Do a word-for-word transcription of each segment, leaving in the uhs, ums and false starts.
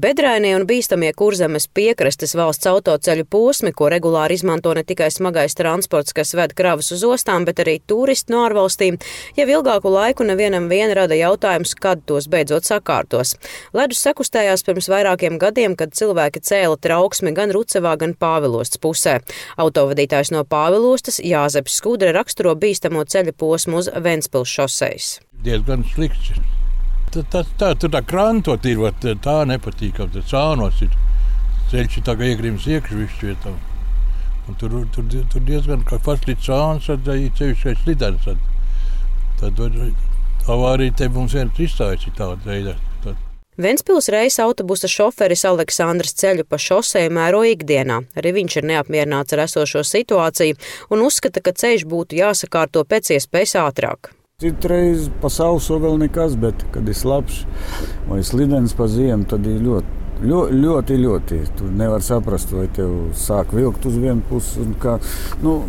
Bedrainie un bīstamie Kurzemes piekrastes valsts autoceļu posmi, ko regulāri izmanto ne tikai smagais transports, kas ved kravas uz ostām, bet arī turisti no ārvalstīm, jau ilgāku laiku nevienam vien rada jautājums, kad tos beidzot sakārtos. Ledus sakustējās pirms vairākiem gadiem, kad cilvēki cēla trauksmi gan Rucavā, gan Pāvilostas pusē. Autovadītājs no Pāvilostas Jāzeps Skudra raksturo bīstamo ceļa posmu uz Ventspils šosejas. Diezgan slikts. Tā, tā, tā, tur tā krantot ir, tā nepatīkam, tā cānos ir. Ceļš ir tā kā iegrims iekš visu vietām. Un tur, tur, tur diezgan kā fast līdz cāns, tad ir ceļš kā slidens. Tad avārija te mums viens izstājas ir tāda veidā. Ventspils reisa autobusa šoferis Aleksandrs ceļu pa šoseju mēro ikdienā. Arī viņš ir neapmierināts ar esošo situāciju un uzskata, ka ceļš būtu jāsakārto pēc iespējas ātrāk. Citreiz pa sauso vēl nekas, bet, kad ir slapš vai slidens pa ziemu, tad ir ļoti, ļoti, ļoti, ļoti. Tu nevar saprast, vai tev sāk vilkt uz vienu pusi un kā, nu,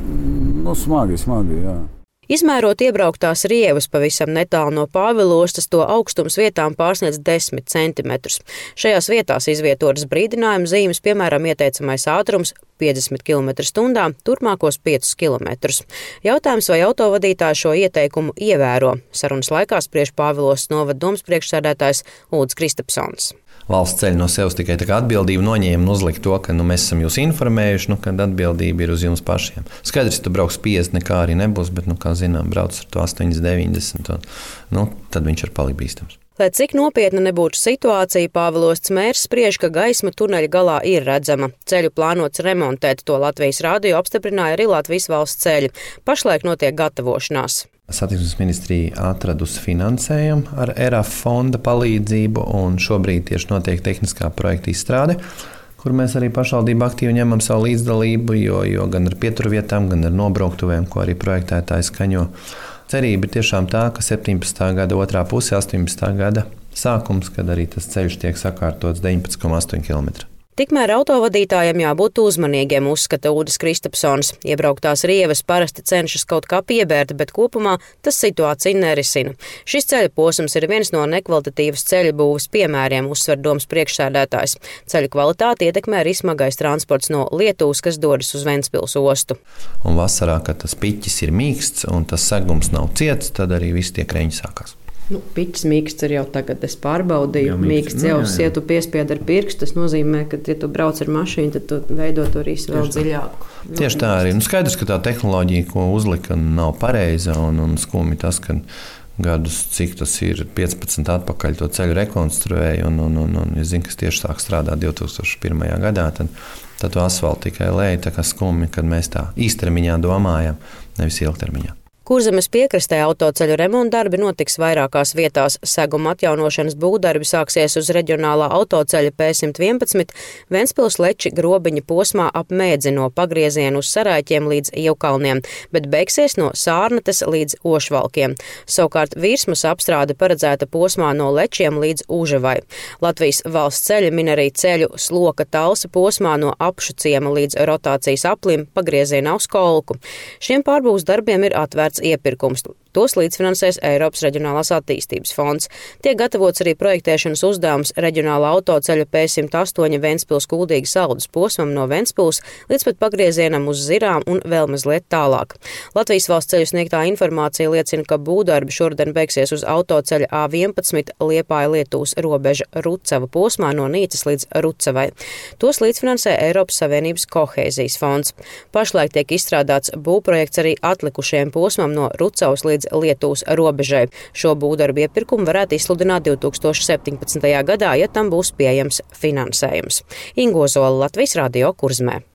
nu smagi, smagi, jā. Izmērot iebrauktās rievas pavisam netālu no Pāvilostas, to augstums vietām pārsniedz desmit centimetrus. Šajās vietās izvietotas brīdinājuma zīmes, piemēram, ieteicamais ātrums piecdesmit kilometru stundā, turpmākos piecus kilometrus. Jautājums, vai autovadītāji šo ieteikumu ievēro? Sarunas laikā spriež Pāvilostas novada domas priekšsēdētājs Ulds Kristapsons. Valsts ceļ no sevis tikai tā kā atbildību noņēma un uzlika to, ka nu, mēs esam jūs informējuši, nu, kad atbildība ir uz jums pašiem. Skaidrs, ka tu brauks piecdesmit, nekā arī nebūs, bet, nu, kā zinām, brauc ar to astoņdesmit, deviņdesmit, un, nu, tad viņš ir palikt bīstams. Lai cik nopietna nebūtu situācija, Pāvilostas mērs spriež, ka gaisma tuneļa galā ir redzama. Ceļu plānots remontēt, to Latvijas radio apstiprināja arī Latvijas valsts ceļi. Pašlaik notiek gatavošanās. Satiksmes ministrija atradusi finansējumu ar E R A F fonda palīdzību, un šobrīd tieši notiek tehniskā projekta izstrāde, kur mēs arī pašvaldība aktīvi ņemam savu līdzdalību, jo, jo gan ar pieturvietām, gan ar nobrauktuvēm, ko arī projektētāji skaņo. Cerība ir tiešām tā, ka septiņpadsmitā gada otrā puse, astoņpadsmitā gada sākums, kad arī tas ceļš tiek sakārtots deviņpadsmit komats astoņi kilometri. Tikmēr autovadītājiem jābūt uzmanīgiem, uzskata Ulds Kristapsons. Iebrauktās rievas parasti cenšas kaut kā piebērt, bet kopumā tas situāciju nerisina. Šis ceļa posms ir viens no nekvalitatīvas ceļa būves piemēriem, uzsver domas priekšsēdētājs. Ceļu kvalitāti ietekmē arī smagais transports no Lietuvas, kas dodas uz Ventspils ostu. Un vasarā, kad tas piķis ir mīksts un tas segums nav ciets, tad arī viss tie kreņi sākās. Nu, piķis mīksts ir jau tagad, es pārbaudīju. Jā, mīksts jau, nu, ja tu piespied ar pirkstu, tas nozīmē, ka, ja tu brauc ar mašīnu, tad tu veido to risu vēl dziļāku. Tieši tā arī. Nu, skaidrs, ka tā tehnoloģija, ko uzlika, nav pareiza, un, un skumi tas, ka gadus, cik tas ir piecpadsmit atpakaļ, to ceļu rekonstruēja, un, un, un, un es zinu, kas tieši sāk strādāt divi tūkstoši pirmajā gadā, tad, tad to asfaltu tikai lēja, tā kā skumi, kad mēs tā īstermiņā domājam, nevis ilgtermiņā. Kurzemes piekrastē autoceļu remonta darbi notiks vairākās vietās. Seguma atjaunošanas būvdarbi sāksies uz reģionālā autoceļa P simt vienpadsmit, Ventspils Leči grobiņa posmā ap Mēdzi no pagrieziena uz Saraiķiem līdz Ievkalniem, bet beigsies no Sārnates līdz Ošvalkiem. Savukārt virsmas apstrāde paredzēta posmā no Lečiem līdz Užavai. Latvijas valsts ceļi min arī ceļu Sloka Talsa posmā no Apšuciema līdz rotācijas aplim pagriezienā uz Kolku. Šiem pārbūves darbiem ir atvērts iepirkums. Tos līdzfinansēs Eiropas Reģionālās attīstības fonds. Tiek gatavots arī projektēšanas uzdevums reģionālā autoceļa P simt astoņi Ventspils Kuldīgas Saldus posmam no Ventspils līdz pat pagriezienam uz Zirām un vēl mazliet tālāk. Latvijas valsts ceļu sniegtā informācija liecina, ka būvdarbi šodien beigsies uz autoceļa A vienpadsmit Liepāja-Lietuvas robeža Rucava posmā no Nīcas līdz Rucavai. Tos līdzfinansē Eiropas Savienības kohēzijas fonds. Pašlaik tiek izstrādāts būvprojekts arī atlikušajiem posmam no Rucavas līdz Lietuvas robežai. Šo būvdarbu iepirkumu varētu izsludināt divi tūkstoši septiņpadsmitajā gadā, ja tam būs pieejams finansējums. Ingo Zola, Latvijas radio Kurzemē.